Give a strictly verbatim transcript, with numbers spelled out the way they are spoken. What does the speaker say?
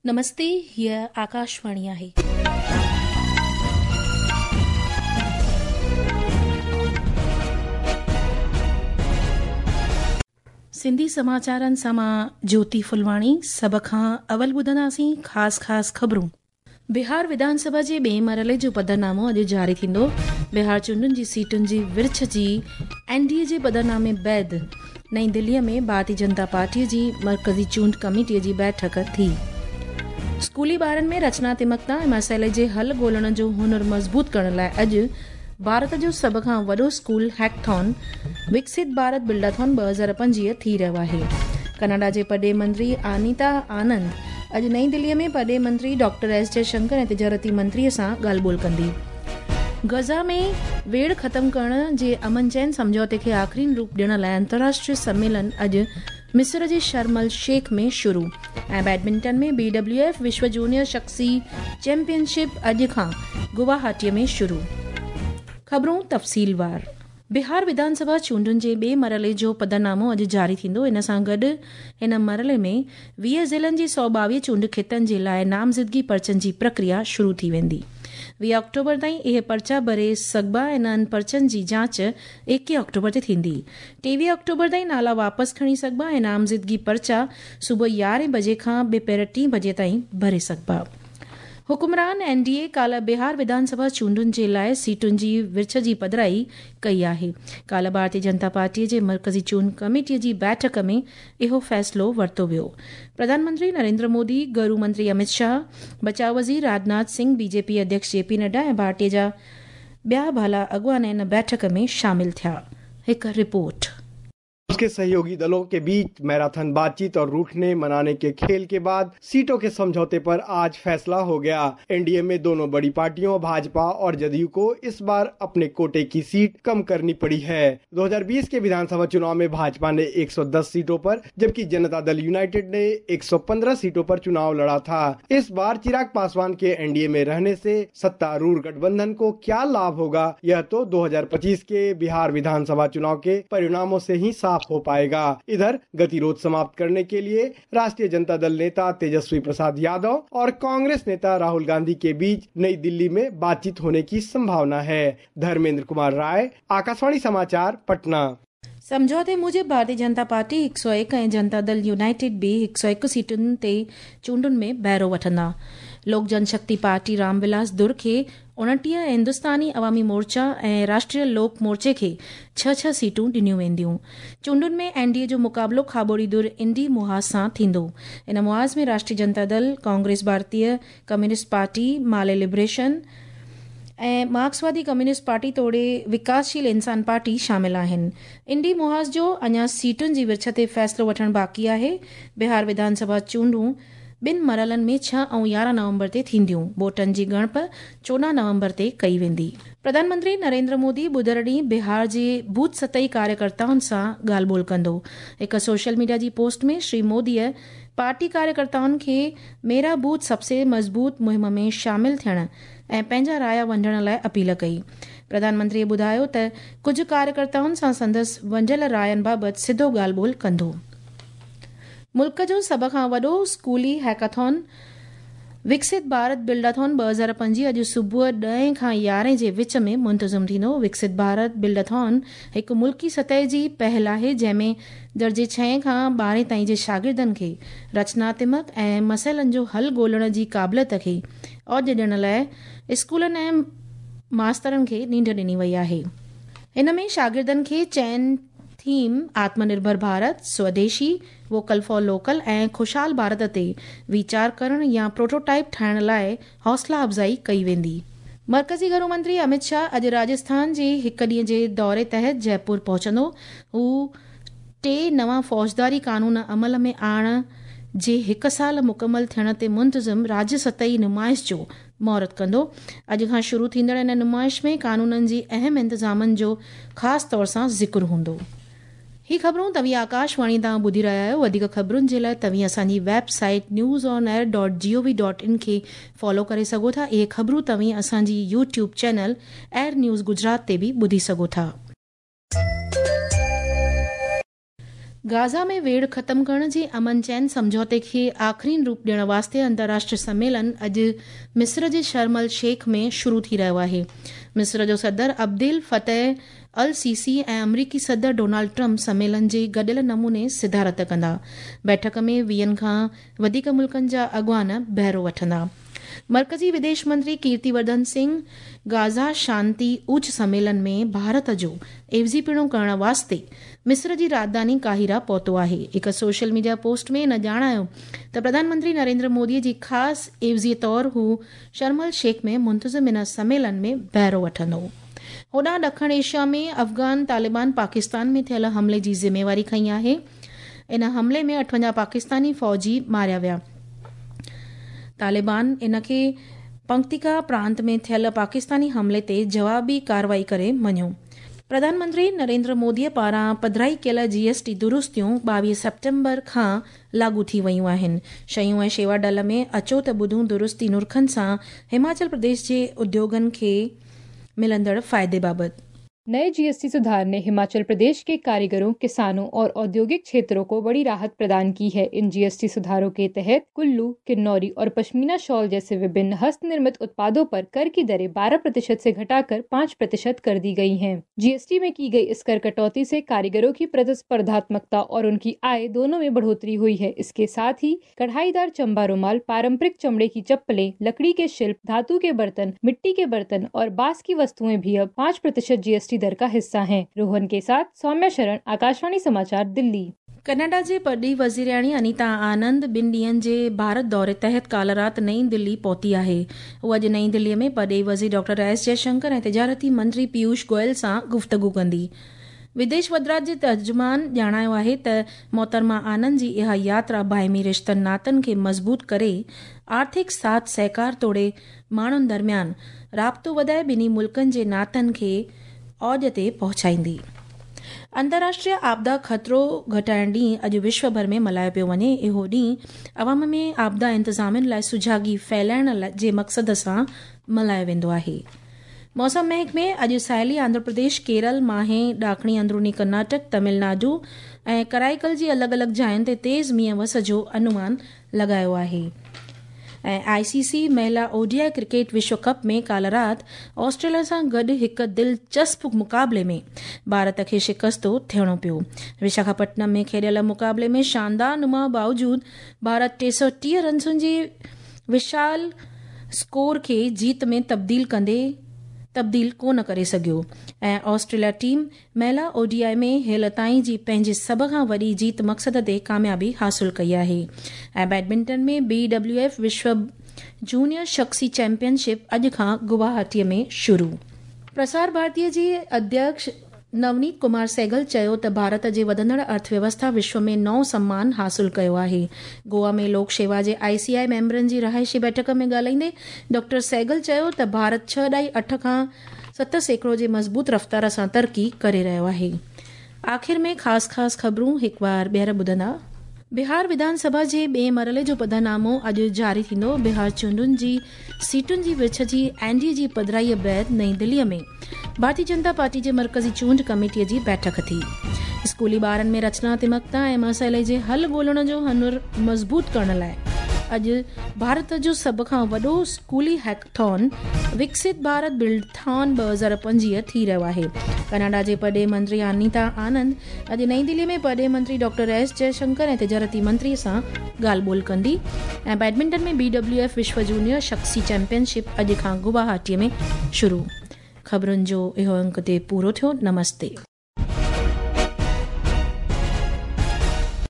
नमस्ते, हीअ आकाशवाणी आहे. सिंधी समाचारनि सां मां ज्योति फुलवाणी. सभ खां अवल ॿुधंदासीं ख़ासि ख़ासि ख़बरूं. बिहार विधानसभा जे ॿिए मरहले जो पधरनामो अॼु जारी थींदो. बिहार चूंडुनि जी सीटुनि जी विर्छ जी एन डी ए जे पधरनामे बैद नई दिल्लीअ में भारतीय जनता पार्टीअ जी मर्कज़ी चूंड कमेटीअ जी बैठक थी. स्कूली ॿारनि में रचनात्मकता ऐं मसइले जे हल ॻोल्हण जो हुनर मज़बूत करण लाइ अॼु भारत जो सभ खां वॾो स्कूल हैकथॉन विकसित भारत बिल्डाथॉन ॿ हज़ार पंजवीह थी रहियो आहे. कनाडा जे परॾेही मंत्री अनीता आनंद अॼु नई दिल्लीअ में परॾेही मंत्री डॉक्टर एस जयशंकर ऐं तिजारती मंत्रीअ सां ॻाल्हि ॿोल कंदी. गज़ा में वेड़ ख़त्म करण जे अमन चैन सम्झौते खे आख़िरी रूप ॾियण लाइ अंतर्राष्ट्रीय सम्मेलन अॼु मिस्र जे शर्म अल शेख में शुरू. ऐं बैडमिंटन में बी डब्ल्यू एफ विश्व जूनियर शख्सी चैंपियनशिप अॼु खां गुवाहाटीअ में शुरू. ख़बरूं तफ़सीलवार. बिहार विधानसभा चूंडुनि जे ॿिए मरहले जो पधरनामो अॼु जारी थींदो. इन सां गॾु हिन मरहले में वीह ज़िलनि जी सौ ॿावीह चूंड ख़ितनि जे लाइ नामज़दगी पर्चनि जी प्रक्रिया शुरू थी वेंदी. वीह अक्टूबर ताईं इहे पर्चा भरे सघिबा ऐं इन्हनि पर्चनि जी जांच एकवीह अक्टूबर ते थींदी. टेवीह अक्टूबर ताईं नाला वापसि खणी सघिबा ऐं नामज़दगी पर्चा सुबुह यारहें बजे खां ॿिपहर टी बजे ताईं भरे सघिबा. हुकुमरान एन डी ए काल्ह बिहार विधानसभा चूंडुनि जे लाइ सीटुनि जी विर्छ जी पधराई कई आहे. काल्ह भारतीय जनता पार्टीअ जे मर्कज़ी चूंड कमेटीअ जी बैठक में इहो फ़ैसिलो वरितो वियो. प्रधानमंत्री नरेंद्र मोदी, गृह मंत्री अमित शाह, बचाव वज़ीर राजनाथ सिंह, बीजेपी अध्यक्ष जे पी नड्डा ऐं पार्टीअ जा ॿिया भाला अॻुवान इन बैठक में शामिल थिया. हिकु रिपोर्ट. उसके सहयोगी दलों के बीच मैराथन बातचीत और रूठने मनाने के खेल के बाद सीटों के समझौते पर आज फैसला हो गया. एनडीए में दोनों बड़ी पार्टियों भाजपा और जदयू को इस बार अपने कोटे की सीट कम करनी पड़ी है. दो हज़ार बीस के विधानसभा चुनाव में भाजपा ने एक सौ दस सीटों पर जबकि जनता दल यूनाइटेड ने एक सौ पंद्रह सीटों पर चुनाव लड़ा था. इस बार चिराग पासवान के एनडीए में रहने से सत्तारूढ़ गठबंधन को क्या लाभ होगा, यह तो दो हज़ार पच्चीस के बिहार विधानसभा चुनाव के परिणामों से ही साफ हो पाएगा. इधर गतिरोध समाप्त करने के लिए राष्ट्रीय जनता दल नेता तेजस्वी प्रसाद यादव और कांग्रेस नेता राहुल गांधी के बीच नई दिल्ली में बातचीत होने की संभावना है. धर्मेंद्र कुमार राय, आकाशवाणी समाचार, पटना. सम्झौते मूजिबि भारतीय जनता पार्टी हिकु सौ हिकु ऐं जनता दल यूनाइटेड बि हिकु सौ हिकु सीटुनि ते चूंडुनि में बहिरो वठंदा. लोक जनशक्ति पार्टी रामविलास दुर खे उणिटीह ऐं हिंदुस्तानी अवामी मोर्चा ऐं राष्ट्रीय लोक मोर्चे खे छह छह सीटूं ॾिनियूं वेंदियूं. चूंडुनि में एन डी ए जो मुक़ाबिलो खाबोड़ी दुर इंडी मुहाज़ सां थींदो. इन मुहाज़ में राष्ट्रीय जनता दल, कांग्रेस, भारतीय कम्युनिस्ट पार्टी, माले लिबरेशन ऐं मार्क्सवादी कम्युनिस्ट पार्टी तोड़े विकासशील इंसान पार्टी शामिल आहिनि. इंडी मुहाज़ जो अञा सीटुनि जी विर्छ ते फ़ैसिलो वठणु बाक़ी आहे. बिहार विधानसभा चूंडूं ॿिनि मरहलनि में छह ऐं यारहं नवंबर ते थींदियूं. वोटनि जी ॻणप चोॾहं नवंबर ते कई वेंदी. प्रधानमंत्री नरेंद्र मोदी ॿुधर ॾींहुं बिहार जे बूथ सतही कार्यकर्ताउनि सां ॻाल्हि ॿोल कंदो. हिकु सोशल मीडिया जी पोस्ट में श्री मोदीअ पार्टी कार्यकर्ताउनि खे मेरा बूथ सबसे मज़बूत मुहिम में शामिल थियण ऐं पंहिंजा राया वंडण लाइ अपील कई. प्रधानमंत्रीअ ॿुधायो त कुझु कार्यकर्ताउनि सां संदसि वंडियल रायनि बाबति सिधो ॻाल्हि ॿोल कंदो. मुल्क जो सभ खां वॾो स्कूली हैकाथॉन विकसित भारत बिल्डाथॉन ॿ हज़ार पंजवीह अॼु सुबुह ॾहें खां यारहें जे विच में मुंतज़िम थींदो. विकसित भारत बिल्डाथॉन हिकु मुल्की सतह जी पहल आहे जंहिंमें दर्जे छहें खां ॿारहें ताईं जे शागिर्दनि खे रचनात्मक ऐं मसइलनि जो हल ॻोल्हण जी क़ाबिलियत खे औज ॾियण लाइ स्कूलनि ऐं मास्तरनि खे नींड ॾिनी वई आहे. हिन में शागिर्दनि खे चइनि थीम आत्मनिर्भर भारत, स्वदेशी, वोकल फॉर लोकल ऐं ख़ुशहाल भारत ते वीचार करण या प्रोटोटाइप ठाहिण लाइ हौसला अफ़ज़ाई कई वेंदी. मर्कज़ी घरू मंत्री अमित शाह अॼु राजस्थान जे हिकु ॾींहं जे दौरे तहत जयपुर पहुचंदो. हू टे नवां फौजदारी कानून अमल में आणण जे हिकु साल मुकमल थियण ते मुंतज़िम राज्य सतही नुमाइश जो मुहूर्त कंदो. अॼु खां शुरू थींदड़ इन नुमाइश में कानूननि जी अहम इंतज़ामनि जो ख़ासि तौर सां ज़िक्र हूंदो. ही ख़बरूं तव्हीं आकाशवाणी तां ॿुधी रहिया आहियो. वधीक ख़बरुनि जे लाइ तव्हीं असांजी website news on air dot G O V dot in खे फॉलो करे सघो था. इहे ख़बरूं तव्हीं असांजी YouTube channel air news Gujarat ते बि ॿुधी सघो था. गाज़ा में वेड़ ख़त्म करण जे अमन चैन सम्झौते खे आख़िरीन रूप ॾियण वास्ते अंतर्राष्ट्रीय सम्मेलन अॼु मिस्र जे शर्म अल शेख में शुरू थी रहियो आहे। मिस्र जो सदर अब्दुल फतेह अल सीसी ऐं अमरीकी सदर डोनाल्ड ट्रंप सम्मेलन जे गॾियल नमूने सिदारत कंदा। बैठक में वीहनि खां वधीक मुल्कनि जा अॻुवान बहिरो वठंदा। मर्कज़ी विदेश मंत्री कीर्तिवर्धन सिंह गाज़ा शांति उच्च सम्मेलन में भारत जो एवज़ीपणो करण वास्ते मिस्र जी राजधानी काहिरा पहुतो आहे। हिकु सोशल मीडिया पोस्ट में हिन ॼाणायो त प्रधानमंत्री नरेंद्र मोदीअ जी ख़ासि एवज़ीअ तौर हू शर्म अल शेख में मुंतज़िम इन सम्मेलन में बहिरो वठंदो। होॾां ॾखण एशिया में अफ़गान तालिबान पाकिस्तान में थियल हमले जी ज़िम्मेवारी खई आहे। इन हमले में अठवंजाह पाकिस्तानी फ़ौजी मारिया विया। तालिबान इन खे पंक्तिका प्रांत में थियल पाकिस्तानी हमले ते जवाबी कार्रवाई करे मञियो। प्रधानमंत्री नरेंद्र मोदीअ पारां पधराई कयल जीएसटी दुरुस्तियूं ॿावीह सेप्टेम्बर खां लागू थी वयूं आहिनि। शयूं ऐं शेवा डल में अचो त ॿुधूं दुरुस्ती नुरखनि सां हिमाचल प्रदेश जे उद्योगनि खे मिलंदड़ फ़ाइदे बाबति। नए जीएसटी सुधार ने हिमाचल प्रदेश के कारीगरों, किसानों और औद्योगिक क्षेत्रों को बड़ी राहत प्रदान की है। इन जीएसटी सुधारों के तहत कुल्लू, किन्नौरी और पश्मीना शॉल जैसे विभिन्न हस्तनिर्मित उत्पादों पर कर की दरें बारह प्रतिशत से घटाकर पाँच प्रतिशत कर दी गई हैं। जीएसटी में की गई इस कर कटौती से कारीगरों की प्रतिस्पर्धात्मकता और उनकी आय दोनों में बढ़ोतरी हुई है। इसके साथ ही कढ़ाईदार चंबा रुमाल, पारंपरिक चमड़े की चप्पलें, लकड़ी के शिल्प, धातु के बर्तन, मिट्टी के बर्तन और बांस की वस्तुएं भी अब पाँच प्रतिशत जीएसटी दर का हिस्सा हैं। रोहन के साथ सौम्या शरण, आकाशवाणी समाचार, दिल्ली। कनाडा जे परॾेही वज़ीराणी अनीता आनंद ॿिनि ॾींहनि जे भारत दौरे तहत काल राति नई दिल्ली पहुती आहे। उहा अॼु नई दिल्लीअ में परॾेही वज़ीर डॉक्टर एस जयशंकर ऐं तिजारती मंत्री पीयूष गोयल सां गुफ़्तगू कंदी। विदेश वज़ारत जे तर्जुमान ॼाणायो आहे त मोहतरमा आनंद जी इहा यात्रा बाहिमी रिश्तनि नातनि खे मज़बूत करे आर्थिक साथ सहकार तोड़े माण्हुनि दरमियान राब्तो वधाए ॿिन्ही मुल्कनि जे नातनि खे औज ते पहुचाईंदी। अंतर्राष्ट्रीय आपदा ख़तरो घटाइण ॾींहुं अॼु विश्व भर में मल्हायो पियो वञे। इहो ॾींहुं अवाम में आपदा इंतिज़ामियुनि लाइ सुजागी फैलाइण जे मक़सद सां मल्हायो वेंदो आहे। मौसम महकमे अॼु साहिली आंध्र प्रदेश, केरल, माहे, ॾाखणी अंदरूनी कर्नाटक, तमिलनाडु ऐं कराईकल जी अलॻि अलॻि जायुनि ते तेज़ मींहं वस जो अनुमान लॻायो आहे। ऐं आईसीसी महिला ओडीआई क्रिकेट विश्व कप में काल राति ऑस्ट्रेलिया सां गॾु हिकु दिलचस्प मुक़ाबले में भारत खे शिकस्तो थियणो पियो। विशाखापट्टनम में खेॾियल मुक़ाबले में शानदार नुमा बावजूद भारत टे सौ टीह रनसुनि जे विशाल स्कोर खे जीत में तब्दील कंदे तब्दील कोन करे सघियो ऐं ऑस्ट्रेलिया टीम महिला ओडीआई में हेल ताईं जी पंहिंजी सभ खां वॾी जीत मक़सद ते कामयाबी हासिल कई आहे। ऐं बैडमिंटन में बी डब्ल्यू एफ विश्व जूनियर शख्सी चैंपियनशिप अॼु खां गुवाहाटीअ में शुरू। प्रसार भारतीय जे अध्यक्ष नवनीत कुमार सहगल चयो त भारत जे वधंदड़ अर्थव्यवस्था विश्व में नओं सम्मान हासिल कयो आहे। गोवा में लोक सेवा जे आईसीआई मेंबरनि जी रिहाइशी बैठक में ॻाल्हाईंदे डॉक्टर सहगल चयो त भारत छह ॾाई अठ खां सत सैकड़ो जे मज़बूत रफ़्तार सां तरक़ी करे रहियो आहे। आख़िर में ख़ासि ख़ासि ख़बरूं हिकु बार ॿीहर ॿुधंदा। बिहार विधानसभा जे ॿिए मरहले जो पधरनामो अॼु जारी थींदो। बिहार चूंडुनि जी सीटुनि जी विछ जी एनडीए जी पधराईअ बाद नई दिल्लीअ में भारतीय जनता पार्टी जे मर्कज़ी चूंड कमेटीअ जी बैठक थी। स्कूली ॿारनि में रचनात्मकता ऐं मसइले जे हल ॻोल्हण जो हुनर मज़बूत करण लाइ अॼु भारत जो सभ खां वॾो स्कूली हैकथॉन विकसित भारत बिल्डथॉन ॿ हज़ार पंजवीह थी रहियो आहे। कनाडा जे परॾेही मंत्री अनीता आनंद अॼु नई दिल्ली में परॾेही मंत्री डॉक्टर एस जयशंकर ऐं तिजारती मंत्री सां ॻाल्हि ॿोल कंदी। ऐं बैडमिंटन में बी डब्ल्यू एफ विश्व जूनियर शख्सी चैंपियनशिप अॼु खां गुवाहाटीअ में शुरू। ख़बरुनि जो इहो अंक ते पूरो थियो। नमस्ते।